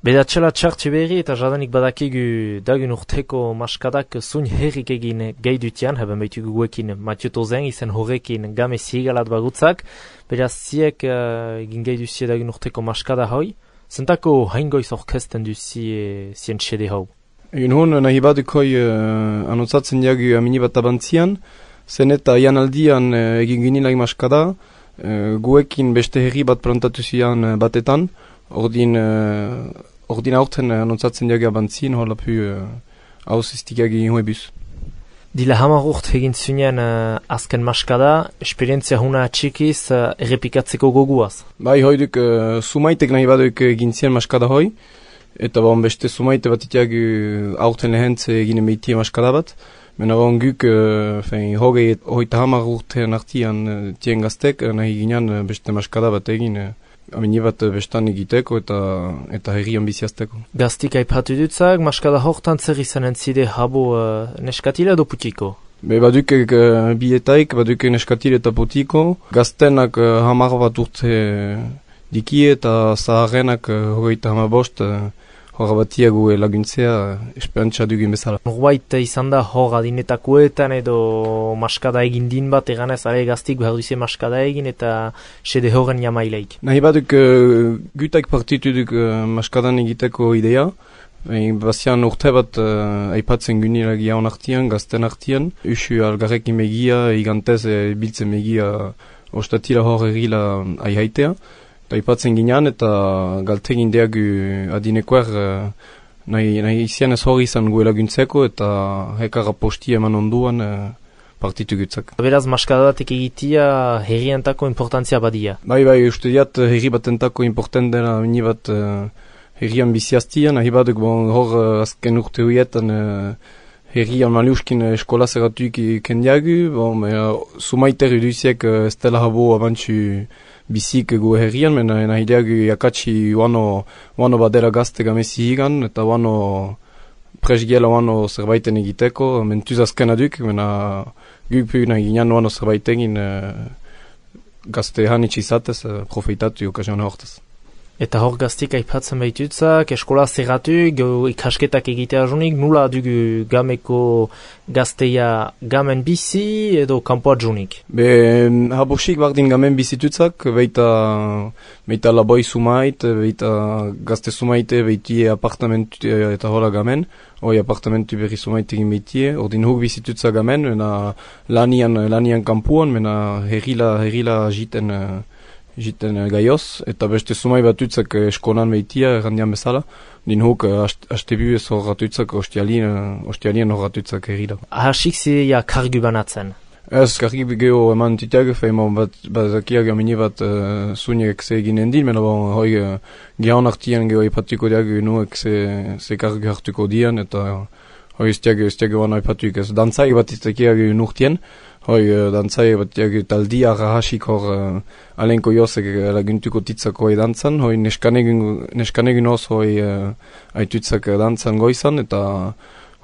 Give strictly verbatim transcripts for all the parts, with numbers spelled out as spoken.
Bedatxela txartxe berri eta jadanik badakigu dagun urteko maskadak zuin herrik egin gai dutian, haben behitugu guekin Mathieu Tozen, izen horrekin game zigalat bagutzak, beraz ziek uh, egin gai duzie dagun urteko maskada hoi, zentako haingoiz orkesten duzie zien txede hau? Egun hon nahi badukoi uh, anotzatzen diagu amini bat abantzian, zen eta ian aldian uh, egin ginilag maskada, uh, guekin beste herri bat plantatu zian uh, batetan, ordin... Uh, Ordin aurten anotzatzen diagia bantzien, hola pu hauz iztigiagi inhoebuz. Dila hamar urt egin zunean uh, azken maskada, esperientzia huna txikiz uh, errepikatzeko goguaz. Bai, hoiduk uh, sumaitek nahi baduk egin zien maskada hoi, eta bon beste sumaite bat itiagu aurten lehentze egin emeitie maskada bat, mena bon guk uh, hogei hoita hamar urtean artian uh, tien gaztek, uh, nahi ginean uh, beste maskada bat egin, uh, amini bat bestan egiteko eta eta herrian biziazteko. Gaztik aipatu dutzak, maskada hortan zer izanen zide habo uh, neskatila edo putiko? Be baduk uh, bietaik, baduk neskatila eta putiko. Gaztenak uh, hamar bat urte dikie eta zaharrenak uh, hogeita hamabost uh, hor batiago laguntzea esperantza dugin bezala. Norbait izan da hor adinetakoetan edo maskada egin din bat eganez are gaztik behar duzie maskada egin eta sede horren jamaileik. Nahi baduk uh, gutak partitu duk uh, maskadan egiteko idea. E, Bazian urte bat uh, aipatzen gunilagia hon artian, gazten artian. Usu algarrekin megia, igantez e, biltzen megia ostatila hor errila aihaitea. Aipatzen ginean eta galtegin deagu adinekoer uh, nahi, nahi izian ez hori izan gue laguntzeko eta hekarra posti eman onduan uh, partitu gutzak. Beraz, maskadatik egitia herrientako importantzia badia? Bai, bai, uste diat herri batentako important dena mini bat uh, herrian biziaztian, nahi baduk bon, hor uh, azken urte huietan uh, herrian maliuskin uh, eskola zeratuik kendiagu, bon, uh, sumaiter uduziek uh, ez dela habo abantxu bizik gu herrian, mena nahi deagu jakatsi wano, wano badera gazte gamezi higan, eta wano presgiela wano zerbaiten egiteko, mentuz azken aduk, mena guk pu nahi ginean wano zerbait egin uh, gazte hanitz izatez, uh, profeitatu okazion hortaz. Eta hor gaztik aipatzen behitutzak, eskola zerratu, ikasketak egitea junik, nula dugu gameko gazteia gamen bizi edo kanpoat junik? Be, habosik bardin gamen bizitutzak, beita, beita laboi sumait, beita gazte sumaite, beitie apartamentu eta hola gamen, hoi apartamentu berri sumait egin beitie, ordin huk bizitutzak gamen, mena lanian, lanian kampuan, mena herrila, herrila jiten, jiten gaioz, eta beste sumai bat utzak eskonan meitia, errandian bezala, din huk hastebu ez horratutzak ostialien, ostialien horratutzak herrila. Ahasik zidea kargu banatzen? Ez, kargu geho eman titiag, feimon bat bazakiag amini bat uh, zuniek ze eginen din, mena bon, hoi uh, gehan artian geho ipatuko diag nuek ze, ze kargu hartuko dian, eta hoi iztiag, iztiag wana ipatuik ez. Dantzai bat iztiag nurtien, hoi uh, dantzai bat diag taldia rahasik hor uh, alenko josek laguntuko titzako hoi dantzan, hoi neskanegun oz hoi uh, aitutzak dantzan goizan, eta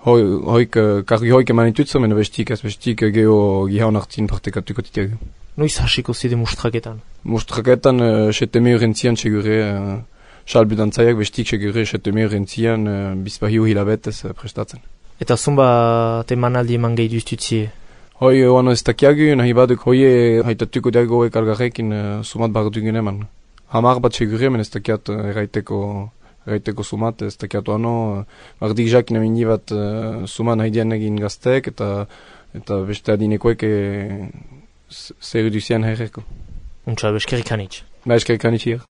hoi, hoik, kargi hoik eman itutzo, mena bestik ez bestik geho gihaun hartin partekatuko titiag. Noiz hasiko zide mustraketan? Mustraketan uh, seteme urentzian segure, uh, salbu dantzaiak bestik segure seteme urentzian uh, bizpahiu hilabetez uh, prestatzen. Eta zumba temanaldi eman gehi duztutzie? Hoi, oano ez takiagu, nahi baduk hoi haitatuko diago hoek algarrekin uh, sumat bardugun eman. Hamar bat segure, men ez takiat uh, eraiteko, eraiteko sumat, ez takiat oano, uh, bardik jakin amini bat uh, suman haidian egin gaztek, eta, eta beste adinekoek e, zer duzian herreko. Untsa, beskerik hanitz. Ba, eskerik hanitz hier.